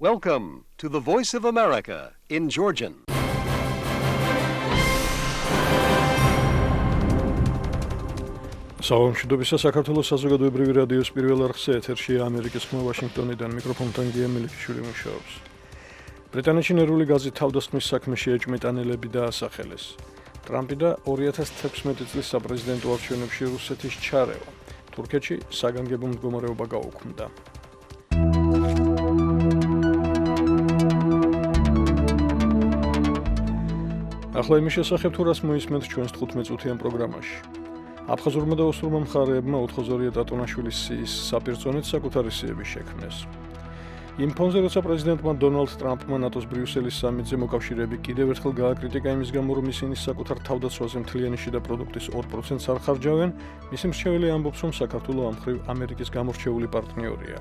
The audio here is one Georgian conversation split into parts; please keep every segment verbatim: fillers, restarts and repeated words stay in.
Welcome to the Voice of America in Georgian. Საომშვიდობისა საქართველოს საზოგადოებრივი რადიოს პირველ არხზე ეთერშია ამერიკის ხმა ვაშინგტონიდან მიკროფონთან გია მელიქიშვილი მუშაობს. ბრიტანეთში ნერვული გაზი თავდასხმის საქმეში ეჭვმიტანილები დაასახელეს. ტრამპი და ორი ათას თექვსმეტი წლის საპრეზიდენტო არჩევნებში რუსეთის ჩარევა. თურქეთში საგანგებო მდგომარეობა გაუქმდა. ახლა იმის შესახებ თუ რას მოისმენთ ჩვენს თხუთმეტ წუთიან პროგრამაში. აფხაზურმა და ოსურმა მხარეებმა ოთხზორია ტატონაშვილის სიის საპირწონით საკუთარი სიები შექმნეს. იმ ფონზე, როცა პრეზიდენტმა დონალდ ტრამპმა ნატოს ბრიუსელის სამიტზე მოკავშირეები კიდევ ერთხელ გააკრიტიკა იმის გამო, რომ ისინი საკუთარ თავდაცვაზე მთლიანი შიდა პროდუქტის ორ პროცენტს არ ხარჯავენ, მისი მრჩეველი ამბობს, რომ საქართველო ამ მხრივ ამერიკის გამორჩეული პარტნიორია.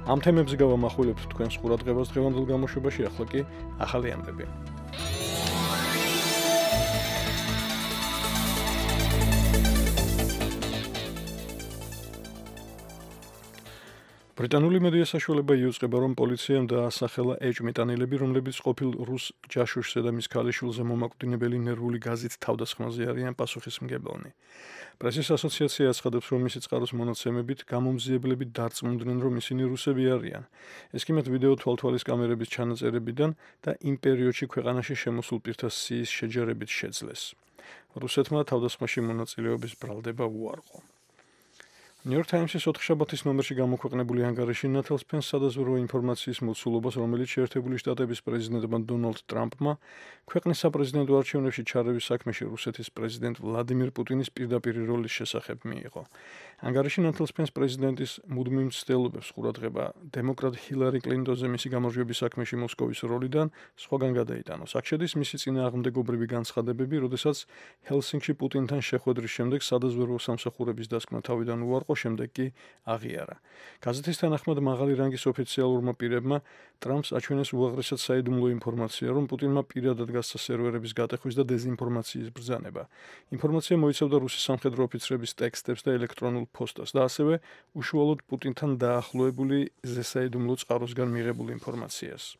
ამ თემებზე გავამახვილებთ თქვენს ყურადღებას დღევანდელ გამოშვებაში, ახლა კი ახალი ამბები. ბრიტანული მედია საშუალება იუწყება, რომ პოლიციამ დაასახელა ეჭვმიტანილები, რომლებიც ყოფილ რუს ჯაშუშზე და მის ქალიშვილზე მომაკვდინებელი ნერვული გაზით თავდასხმაზე არიან პასუხისმგებელნი. პრესის ასოციაცია აცხადებს, რომ მისი წყაროს მონაცემებით გამომძიებლები დარწმუნდნენ, რომ ისინი რუსები არიან. ეს კი მათ ვიდეო თვალთვალის კამერების ჩანაწერებიდან და იმ პერიოდში ქვეყანაში შემოსულ პირთა სიის შეჯერებით შეძლეს. რუსეთმა თავდასხმაში მონაწილეობის ბრალდება უარყო. New York Times-ის ოთხშაბათის ნომერში გამოქვეყნებული ანგარიში ნათელსფენს სადაზვერვო ინფორმაციის მოცულობას, რომელიც შეერთებული შტატების პრეზიდენტმა დონალდ ტრამპმა ქვეყნის საპრეზიდენტო არჩევნებში ჩარევის საქმეში რუსეთის პრეზიდენტ ვლადიმირ პუტინის პირდაპირ როლის შესახებ მიიღო. ანგარიში ნათელსფენს პრეზიდენტის მუდმივ მცდელობებს ყურადღება დემოკრატ ჰილარი კლინტონზე მისი გამარჯვების საქმეში მოსკოვის როლიდან სხვაგან გადაიტანოს. აქ შედის მისი წინააღმდეგობრივი განცხადებები, როდესაც ჰელსინკში პუტინთან შეხვედრის შემდეგ სადაზვერვო სამსახურების დასკვნა თავიდან უარყო, შემდეგ კი აღიარა. გაზეთის თანახმად მაღალი რანგის ოფიციალურმა პირებმა ტრამპს აჩვენეს უაღრესად საიდუმლო ინფორმაცია, რომ პუტინმა პირადად გასცა სერვერების გატეხვის და დეზინფორმაციის ბრძანება. ინფორმაცია მოიცავდა რუსის სამხედრო ოფიცრების ტექსტებს და ელექტრონულ ფოსტას და ასევე უშუალოდ პუტინთან დაახლოებული ზესაიდუმლო წყაროსგან მიღებულ ინფორმაციას.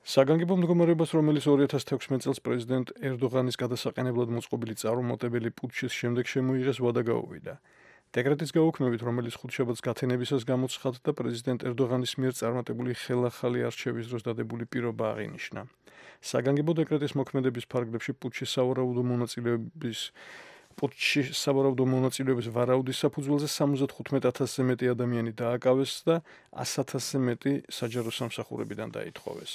საგანგებო მდგომარეობას, რომელიც ორი ათას თექვსმეტი წელს პრეზიდენტ ერდოღანის გადასაყენებლად მოწყობილი წარუმატებელი პუტჩის შემდეგ შემოიღეს ვადა გაუვიდა. დეკრეტის გაუქმებით, რომელიც ხუთშაბათს გათენებისას გამოცხადდა, პრეზიდენტ ერდოღანის მიერ წარმატებული ხელახალი არჩევის დროს დადებული პირობა აღინიშნა. საგანგებო დეკრეტის მოქმედების ფარგლებში პუტჩის სავარაუდო მონაწილეობის პუტჩში სავარაუდო მონაწილეობის ვარაუდის საფუძველზე სამოცდათხუთმეტ ათასზე მეტი ადამიანი დააკავეს და ას ათასზე მეტი საჯარო სამსახურებიდან დაითხოვეს.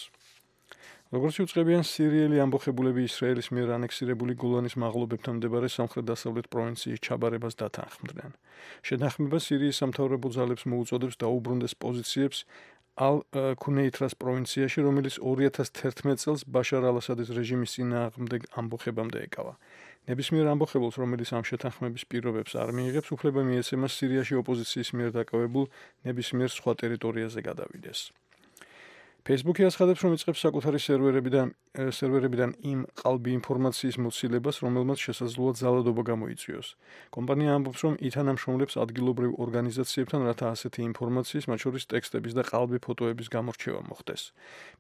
როგორც იუწყებიან სირიელი ამბოხებულები ისრაელის მიერ ანექსირებული გოლანის მაღლობებთან მდებარე სამხრეთ-დასავლეთ პროვინციის ჩაბარებას დათანხმდნენ. შეთანხმება სირიის სამთავრობო ძალებს მოუწოდებს დაუბრუნდეს პოზიციებს ალ-ქუნეითრას პროვინციაში, რომელიც ორი ათას თერთმეტ წელს ბაშარ ალ-ასადის რეჟიმის წინააღმდეგ ამბოხებამდე ეკავა. ნებისმიერ ამბოხებელს, რომელიც ამ შეთანხმების პირობებს არ მიიღებს, უფლება მიეცემა სირიაში ოპოზიციის მიერ დაკავებულ ნებისმიერ სხვა ტერიტორიაზე გადავიდეს. Facebook-ი აცხადებს, რომ იწყებს საკუთარი სერვერებიდან სერვერებიდან იმ ყალბი ინფორმაციის მოცილებას, რომელმაც შესაძლოა ძალადობა გამოიწვიოს. კომპანია ამბობს, რომ ითანამშრომლებს ადგილობრივ ორგანიზაციებთან, რათა ასეთი ინფორმაციის, მათ შორის ტექსტების და ყალბი ფოტოების გამორჩევა მოხდეს.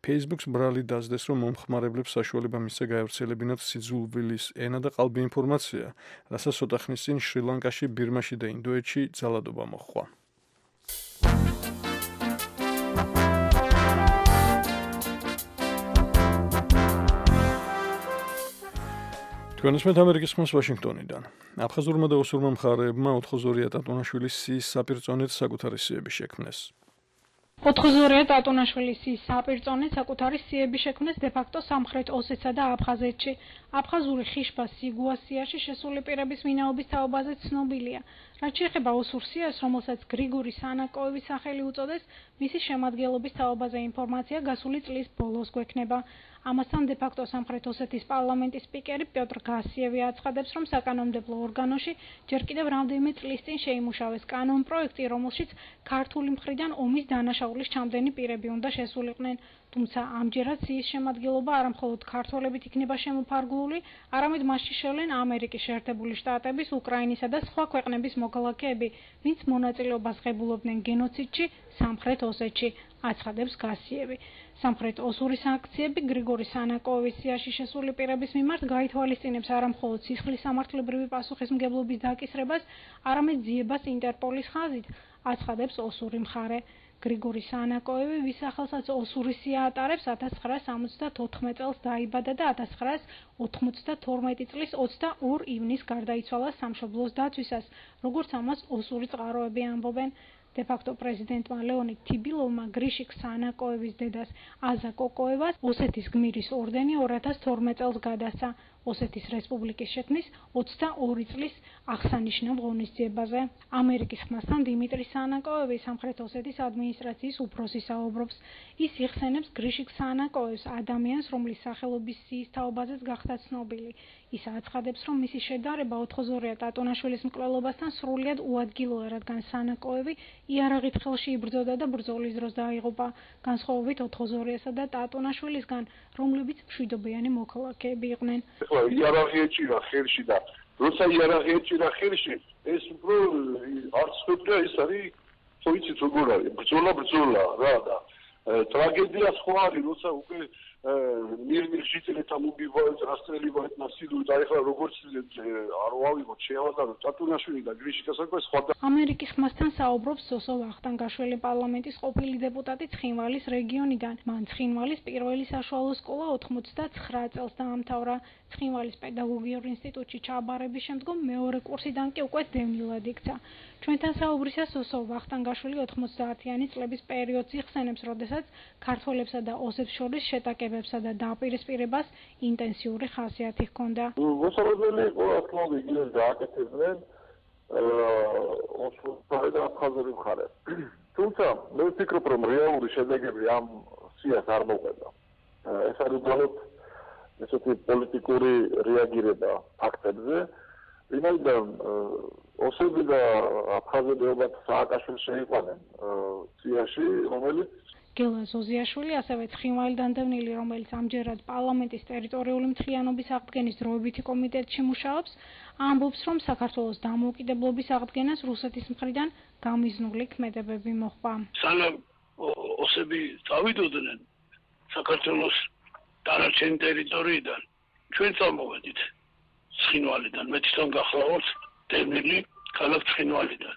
Facebook-ს ბრალი დასდეს, რომ მომხმარებლებს საშუალება მისცა გაევრცელებინათ სიძულვილის ენა და ყალბი ინფორმაცია, რასაც ცოტა ხნის წინ შრი-ლანკაში, ბირმაში და ინდოეთში ძალადობა მოჰყვა. თქვენისმეთ ამერიკის ხმას ვაშინგტონიდან. აფხაზურმა და ოსურმა მხარეებმა ოთხზორია ტატონაშვილის სიის საპირწონით საკუთარი სიები შექმნეს. ოთხზორია ტატონაშვილის სიის საპირწონით საკუთარი სიები შექმნეს დე-ფაქტო სამხრეთ ოსეთსა და აფხაზეთში. აფხაზური ხიშბა სიგუასიაში შესული პირების ვინაობის თაობაზე ცნობილია. რაც შეეხება ოსურ სიას, რომელსაც გრიგორი სანაკოევის სახელი უწოდეს, მისი შემადგენლობის თაობაზე ინფორმაცია გასული წლის ბოლოს გვექნება. ამასთან დე-ფაქტო სამხრეთ ოსეთის პარლამენტის სპიკერი პიოტრ გასიევი აცხადებს, რომ საკანონმდებლო ორგანოში ჯერ კიდევ რამდენიმე წლის წინ შეიმუშავეს კანონპროექტი, რომელშიც ქართული მხრიდან ომის დანაშაულის ჩამდენი პირები უნდა შესულიყვნენ. თუმცა ამჯერად სიის შემადგენლობა არა მხოლოდ ქართველებით იქნება შემოფარგლული, არამედ მასში შევლენ ამერიკის შეერთებული შტატების, უკრაინისა და სხვა ქვეყნების მოქალაქეები, ვინც მონაწილეობას ღებულობდნენ გენოციდში სამხრეთ ოსეთში, აცხადებს გასიევი. სამხრეთ ოსური სანქციები გრიგორი სანაკოევის სიაში შესული პირების მიმართ გაითვალისწინებს არა მხოლოდ სისხლის სამართლებრივი პასუხისმგებლობის დაკისრებას, არამედ ძიებას ინტერპოლის ხაზით, აცხადებს ოსური მხარე. გრიგორი სანაკოევი, ვის სახელსაც ოსური სია ატარებს, ათას ცხრაას ორმოცდათოთხმეტ წელს დაიბადა და ათას ცხრაას ოთხმოცდათორმეტი წლის ოცდაორ ივნისს გარდაიცვალა სამშობლოს დაცვისას, როგორც ამას ოსური წყაროები ამბობენ. დე-ფაქტო პრეზიდენტმა ლეონიდ თიბილოვმა გრიშიკ სანაკოევის დედას აზა კოკოევას ოსეთის გმირის ორდენი ორ ათას თორმეტ წელს გადასცა ოსეთის რესპუბლიკის შექმნის ოცდაორი წლის აღსანიშნავ ღონისძიებაზე. ამერიკის ხმასთან დიმიტრი სანაკოევი სამხრეთ ოსეთის ადმინისტრაციის უფროსი საუბრობს. ის იხსენებს გრიშიკ სანაკოევს, ადამიანს, რომლის სახელობის სიის თაობაზეც გახდა ცნობილი. ის აცხადებს, რომ მისი შედარება ოთხოზორია ტატონაშვილის მკვლელობასთან სრულიად უადგილოა, რადგან სანაკოევი იარაღით ხელში იბრძოდა და ბრძოლის დროს დაიღუპა, განსხვავებით ოთხოზორიასა და ტატონაშვილისგან, რომლებიც მშვიდობიანი მოქალაქეები იყვნენ. იარაღი ეჭირა ხელში და როცა იარაღი ეჭირა ხელში, ეს უფრო არც ხდება, ეს არის ხო იცით როგორ არის, ბრძოლა ბრძოლა რა და ტრაგედია სხვა არის, როცა უკვე მირმირ შიტელეთა მოგივაეთ, რასტრელებაეთ ნასილუ და ეხლა როგორც არ ვავიღოთ შეავადაროთ ტატუნაშვილი და გრიშიკა საკმე სხვა და ამერიკის ხმასთან საუბრობს სოსო ვახტანგაშვილი, პარლამენტის ყოფილი დეპუტატი ცხინვალის რეგიონიდან. მან ცხინვალის პირველი საშუალო სკოლა ოთხმოცდაცხრა წელს დაამთავრა. ცხინვალის პედაგოგიურ ინსტიტუტში ჩააბარების შემდგომ მეორე კურსიდან კი უკვე დევნილად იქცა. ჩვენთან საუბრისას სოსო ვახტანგაშვილი ოთხმოცდაათიანი წლების პერიოდს იხსენებს, როდესაც ქართველებსა და ოსებს შორის შეტაკებებსა და დაპირისპირებას ინტენსიური ხასიათი ჰქონდა. მოსალოდნელი იყო ახლავე იგივე გააკეთებდნენ ოსური და აფხაზური მხარე. თუმცა მე ვფიქრობ, რომ რეალური შედეგები ამ სიას არ მოყვება. ეს არის უბრალოდ ესეთი პოლიტიკური რეაგირება ფაქტებზე, ვინაიდან ოსები და აფხაზები ალბათ სააკაშვილს შეიყვანენ სიაში, რომელიც გელა ზოზიაშვილი, ასევე ცხინვალიდან დევნილი, რომელიც ამჯერად პარლამენტის ტერიტორიული მთლიანობის აღდგენის დროებითი კომიტეტში მუშაობს, ამბობს, რომ საქართველოს დამოუკიდებლობის აღდგენას რუსეთის მხრიდან გამიზნული ქმედებები მოჰყვა. სანამ ოსები წავიდოდნენ საქართველოს დანარჩენი ტერიტორიიდან, ჩვენ წამოვედით ცხინვალიდან, მე თვითონ გახლავართ დევნილი ქალაქ ცხინვალიდან.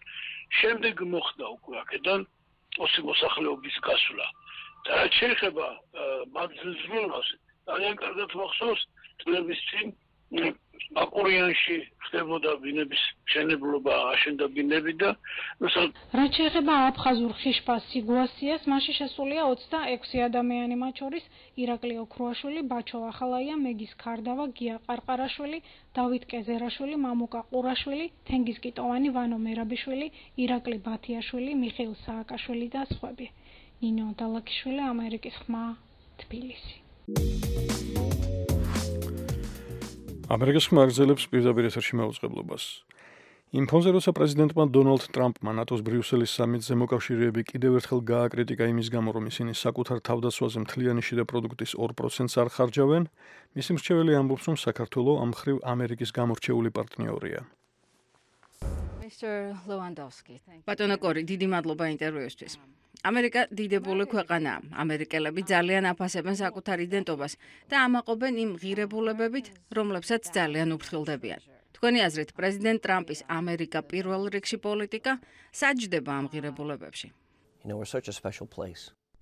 შემდეგ მოხდა უკვე აქედან ოსი მოსახლეობის გასვლა. და რაც შეეხება მაგზიზმულას, ძალიან კარგად მახსოვს წლების წინ აკურიანში ხდებოდა ბინების მშენებლობა, აშენდა ბინები და რაც შეეხება აფხაზურ ხიშბას სიგუასიას, მასში შესულია ოცდაექვსი ადამიანი, მათ შორის ირაკლი ოქრუაშვილი, ბაჩო ახალაია, მეგის ქარდავა, გია ყარყარაშვილი, დავით კეზერაშვილი, მამუკა ყურაშვილი, თენგიზ კიტოვანი, ვანო მერაბიშვილი, ირაკლი ბათიაშვილი, მიხეილ სააკაშვილი და სხვები. ნინო დალაკიშვილი, ამერიკის ხმა, თბილისი. ამერიკის ხმა აგრძელებს პირდაპირ ეთერში მაუწყებლობას. იმ ფონზე, როცა პრეზიდენტმა დონალდ ტრამპმა ნატოს ბრიუსელის სამიტზე მოკავშირეები კიდევ ერთხელ გააკრიტიკა იმის გამო, რომ ისინი საკუთარ თავდასხმაზე მთლიანი შიდა პროდუქტის ორ პროცენტს არ ხარჯავენ, მისი მრჩეველი ამბობს, რომ საქართველო ამ მხრივ ამერიკის გამორჩეული პარტნიორია. ბატონო კორი, დიდი მადლობა ინტერვიუსთვის. ამერიკა დიდებული ქვეყანაა. ამერიკელები ძალიან აფასებენ საკუთარ იდენტობას და ამაყობენ იმ ღირებულებებით, რომლებსაც ძალიან უფრთხილდებიან. თქვენი აზრით, პრეზიდენტ ტრამპის ამერიკა პირველ რიგში პოლიტიკა საჯდება ამ ღირებულებებში?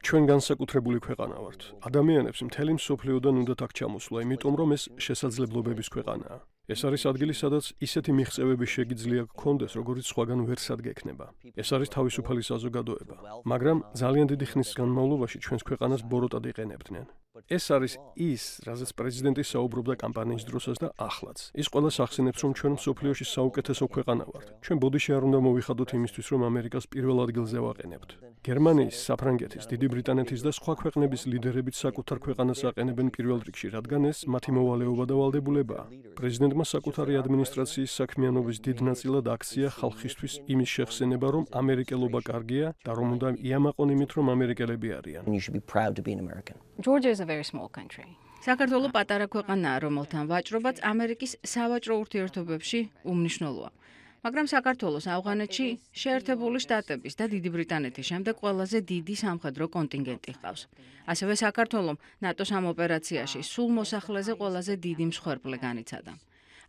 ჩვენ განსაკუთრებული ქვეყანა ვართ. ადამიანებს მთელი მსოფლიოდან უნდათ აქ ჩამოსვლა, იმიტომ რომ ეს შესაძლებლობების ქვეყანაა. ეს არის ადგილი, სადაც ისეთი მიღწევები შეგიძლია გქონდეს, როგორც სხვაგან ვერ სადგექნება. ეს არის თავისუფალი საზოგადოება, მაგრამ ძალიან დიდი ხნის განმავლობაში ჩვენს ქვეყანას ბოროტად იყენებდნენ. ეს არის ის, რაზეც პრეზიდენტი საუბრობდა კამპანიის დროსაც და ახლაც. ის ყველას ახსენებს, რომ ჩვენ მსოფლიოში საუკეთესო ქვეყანა ვართ. ჩვენ ბოდიში არ უნდა მოვიხადოთ იმისთვის, რომ ამერიკას პირველ ადგილზე ვაყენებთ. გერმანიის, საფრანგეთის, დიდი ბრიტანეთის და სხვა ქვეყნების ლიდერებიც საკუთარ ქვეყანას აყენებენ პირველ რიგში, რადგან ეს მათი მოვალეობა და ვალდებულებაა. პრეზიდენტმა საკუთარი ადმინისტრაციის საქმიანობის დიდ ნაწილად აქცია ხალხისთვის იმის შეხსენება, რომ ამერიკელობა კარგია და რომ უნდა იამაყონ იმით, რომ ამერიკელები არიან. საქართველო პატარა ქვეყანაა, რომელთან ვაჭრობაც ამერიკის სავაჭრო ურთიერთობებში უმნიშვნელოა. მაგრამ საქართველოს ავღანეთში შეერთებული შტატების და დიდი ბრიტანეთის შემდეგ ყველაზე დიდი სამხედრო კონტინგენტი ჰყავს. ასევე საქართველომ ნატოს ამ ოპერაციაში სულ მოსახლეზე ყველაზე დიდი მსხვერპლი განიცადა.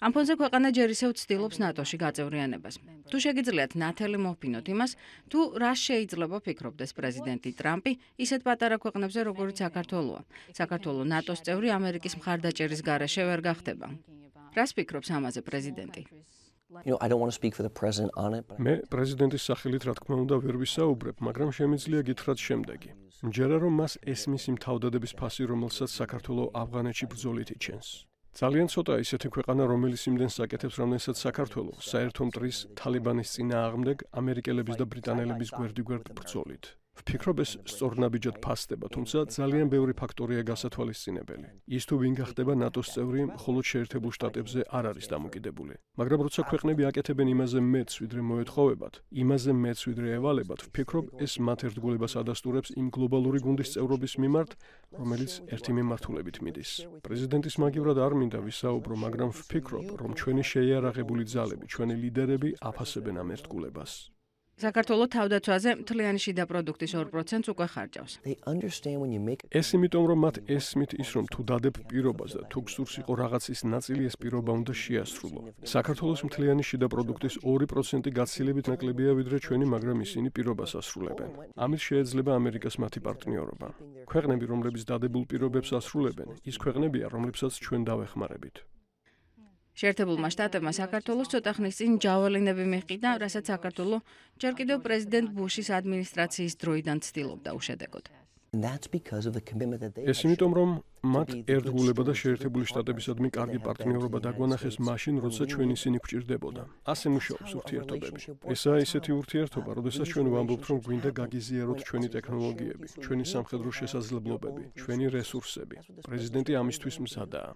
ამ ფონზე ქვეყანა ჯერ ისევ ცდილობს ნატოში გაწევრიანებას. თუ შეგიძლიათ ნათელი მოვფინოთ იმას, თუ რა შეიძლება ფიქრობდეს პრეზიდენტი ტრამპი ისეთ პატარა ქვეყნებზე, როგორიც საქართველოა. საქართველო ნატოს წევრი ამერიკის მხარდაჭერის გარეშე ვერ გახდება. რას ფიქრობს ამაზე პრეზიდენტი? You know, I don't want to speak for the president on it, but მე პრეზიდენტის სახელით რა თქმა უნდა ვერ ვისაუბრებ, მაგრამ შემიძლია გითხრათ შემდეგი. მჯერა რომ მას ესმის იმ თავდადების ფასი, რომელსაც საქართველოს ავღანეთში ბრძოლით იჩენს. ძალიან ცოტა ისეთი ქვეყანა, რომელიც იმდენს აკეთებს, რამდენსაც საქართველოს საერთო მტრის თალიბანის წინააღმდეგ ამერიკელების და ბრიტანელების გვერდიგვერდ ბრძოლით. ვფიქრობ ეს სწორნაბიჯად ფასდება, თუმცა ძალიან ბევრი ფაქტორია გასათვალისწინებელი. ის თუ ვინ გახდება ნატოს წევრი, მხოლოდ შეერთებულ შტატებზე არ არის დამოკიდებული. მაგრამ როცა ქვეყნები აკეთებენ იმაზე მეც, ვიდრე მოეთხოვებათ, იმაზე მეც, ვიდრე ევალებათ, ვფიქრობ ეს მათ ერთგულებას ადასტურებს იმ გლობალური გუნდის წევრობის მიმართ, რომელიც ერთი მიმართულებით მიდის. პრეზიდენტის მაგივრად არ მინდა ვისაუბრო, მაგრამ ვფიქრობ, რომ ჩვენი შეიარაღებული ძალები, ჩვენი ლიდერები აფასებენ ამ ერთგულებას. საქართველოს თავდაცვაზე მთლიანი შიდა პროდუქტის ორ პროცენტს უკვე ხარჯავს. they understand when you make ეს იმიტომ, რომ მათ ესმით ის, რომ თუ დადებ პირობას და თუ გსურს იყო რაღაცის ნაწილი, ეს პირობა უნდა შეასრულო. საქართველოს მთლიანი შიდა პროდუქტის ორი პროცენტი გაცილებით ნაკლებია, ვიდრე ჩვენი, მაგრამ ისინი პირობას ასრულებენ. ამით შეეძლება ამერიკას მათი პარტნიორობა. ქვეყნები, რომლებიც დადებულ პირობებს ასრულებენ, ის ქვეყნებია, რომლებსაც ჩვენ დავეხმარებით. შეერთებულმა შტატებმა საქართველოს ცოტა ხნის წინ ჯაველინები მიჰყიდა, რასაც საქართველო ჯერ კიდევ პრეზიდენტ ბუშის ადმინისტრაციის დროიდან ცდილობდა უშედეგოდ. and that's because of the commitment that they ეს იმიტომ, რომ მათ ერთგულება და შეერთებული შტატებისადმი კარგი პარტნიორობა დაგვანახეს მაშინ, როცა ჩვენ ისინი გვჭირდებოდა. ასე მუშაობს ურთიერთობები. ესაა ისეთი ურთიერთობა, როდესაც ჩვენ ვამბობთ, რომ გვინდა გაგიზიაროთ ჩვენი ტექნოლოგიები, ჩვენი სამხედრო შესაძლებლობები, ჩვენი რესურსები. პრეზიდენტი ამისთვის მზადაა.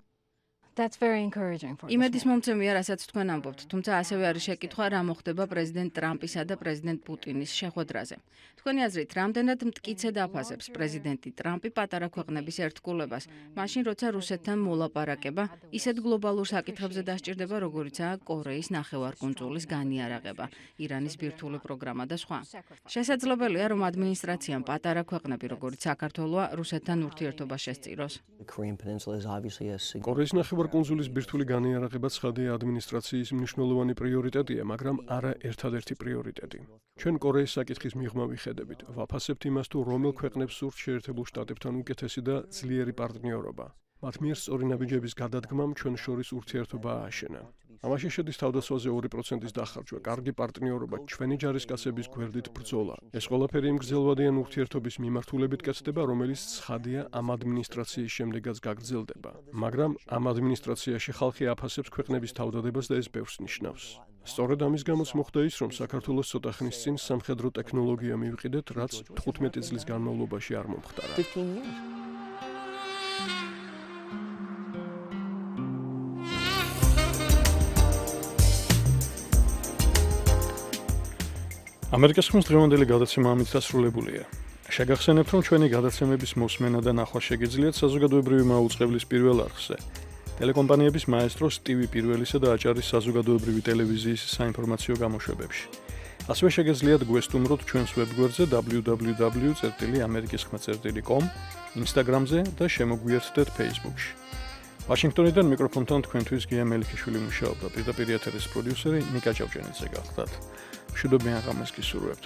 That's very encouraging for us. იმედის მომცემია, რასაც თქვენ ამბობთ, თუმცა ასევე არის შეკითხვა, რა მოხდება პრეზიდენტ ტრამპისა და პრეზიდენტ პუტინის შეხვედრაზე. თქვენი აზრით, რამდენად მტკიცედ აფასებს პრეზიდენტი ტრამპი პატარა ქვეყნების ერთგულებას, მაშინ როცა რუსეთთან მოლაპარაკება ისეთ გლობალურ საკითხებზე დასჭირდება, როგორიცაა კორეის ნახევარკუნძულის განიარაღება, ირანის ბირთვული პროგრამა და სხვა. შესაძლებელია, რომ ადმინისტრაციამ პატარა ქვეყნები, როგორც საქართველოა, რუსეთთან ურთიერთობა შესწიროს. the Korean Peninsula is obviously a sig- კორეის ნახევარკუნძულის ბირთვული განიარაღება ცხადია ადმინისტრაციის მნიშვნელოვანი პრიორიტეტია, მაგრამ არა ერთადერთი პრიორიტეტი. ჩვენ კორეის საკითხის მიღმა ვიხედებით, ვაფასებთ იმას, თუ რომელ ქვეყნებს სურთ შეერთებულ შტატებთან უკეთესი და ძლიერი პარტნიორობა. მათ მიერ სწორი ნაბიჯების გადადგმამ ჩვენ შორის ურთიერთობა ააშენა. ამაში შედის თავდასხმაზე ორი პროცენტის დახარჯვა, კარგი პარტნიორობა, ჩვენი ჯარისკაცების გვერდით ბრძოლა. ეს ყველაფერი იმ გრძელვადიან ურთიერთობის მიმართულებით კეთდება, რომელიც ცხადია ამ ადმინისტრაციის შემდეგაც გაგრძელდება. მაგრამ ამ ადმინისტრაციაში ხალხი აფასებს ქვეყნების თავდადებას და ეს ბევრს ნიშნავს. სწორედ ამის გამოც მოხდა ის, რომ საქართველოს ცოტა ხნის წინ სამხედრო ტექნოლოგია მივყიდეთ, რაც თხუთმეტი წლის განმავლობაში არ მომხდარა. fifteen years. ამერიკას ხმის დღევანდელი გადაცემა ამით დასრულებულია. შეგახსენებთ, რომ ჩვენი გადაცემების მოსმენა და ნახვა შეგიძლიათ საზოგადოებრივი მაუწყებლის პირველ არხზე, ტელეკომპანიების მაესტროს ტივი პირველისა და აჭარის საზოგადოებრივი ტელევიზიის საინფორმაციო გამოშვებებში. ასევე შეგიძლიათ გვესტუმროთ ჩვენს ვებგვერდზე double-u double-u double-u წერტილი ამერიკის ხმა წერტილი com, Instagram-ზე და შემოგვიერთდეთ Facebook-ში. ვაშინგტონიდან მიკროფონთან თქვენთვის გია მელიქიშვილი მუშაობდა, პირდაპირ ეთერის პროდიუსერი ნიკა ჭავჭენიძე გახლდათ. მშვიდობიან ღამეს გისურვებთ.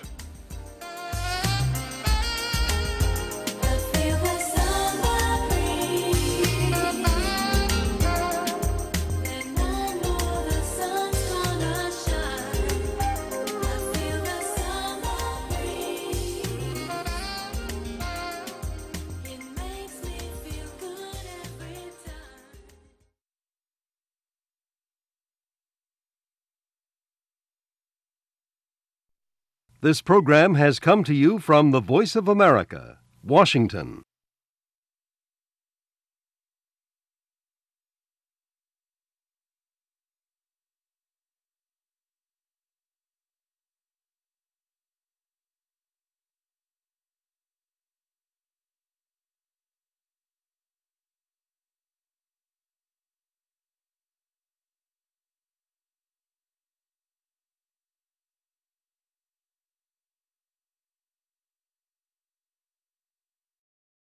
This program has come to you from the Voice of America, Washington.